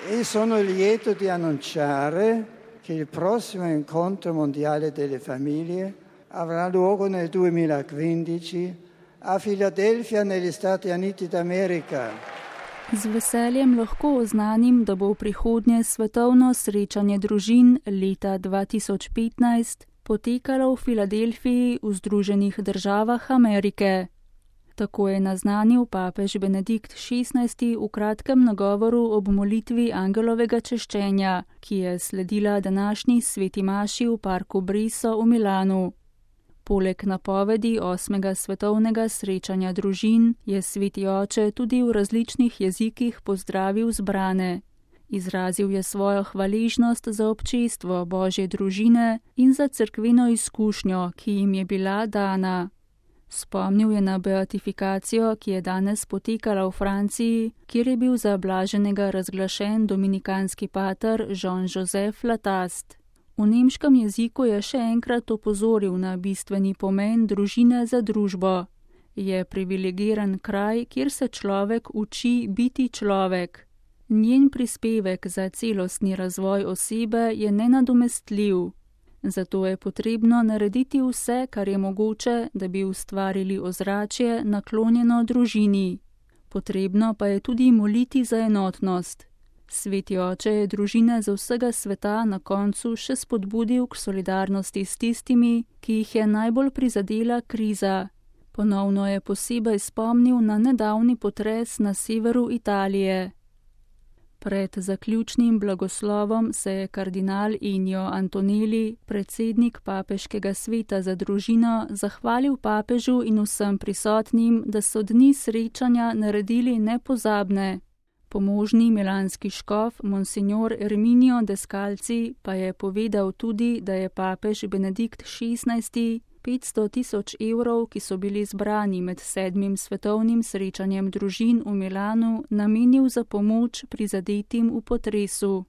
E sono lieto di annunciare che il prossimo incontro mondiale delle famiglie avrà luogo nel 2015 a Filadelfija negli Stati Uniti d'America. Z veseljem lahko oznanim, da bo prihodnje svetovno srečanje družin leta 2015 potekalo v Filadelfiji v Združenih državah Amerike. Tako je naznanil papež Benedikt XVI v kratkem nagovoru ob molitvi angelovega češčenja, ki je sledila današnji sveti maši v parku Briso v Milanu. Poleg napovedi 8. svetovnega srečanja družin je sveti oče tudi v različnih jezikih pozdravil zbrane. Izrazil je svojo hvaležnost za občestvo Božje družine in za cerkveno izkušnjo, ki jim je bila dana. Spomnil je na beatifikacijo, ki je danes potekala v Franciji, kjer je bil za blaženega razglašen dominikanski pater Jean-Joseph Latast. V nemškem jeziku je še enkrat opozoril na bistveni pomen družine za družbo. Je privilegiran kraj, kjer se človek uči biti človek. Njen prispevek za celostni razvoj osebe je nenadomestljiv. Zato je potrebno narediti vse, kar je mogoče, da bi ustvarili ozračje naklonjeno družini. Potrebno pa je tudi moliti za enotnost. Sveti oče je družine za vsega sveta na koncu še spodbudil k solidarnosti s tistimi, ki jih je najbolj prizadela kriza. Ponovno je posebej spomnil na nedavni potres na severu Italije. Pred zaključnim blagoslovom se je kardinal Ennio Antonelli, predsednik papeškega sveta za družino, zahvalil papežu in vsem prisotnim, da so dni srečanja naredili nepozabne. Pomožni milanski škof Monsignor Erminio Descalzi pa je povedal tudi, da je papež Benedikt XVI 500.000 evrov, ki so bili zbrani med 7. svetovnim srečanjem družin v Milanu, namenil za pomoč prizadetim v potresu.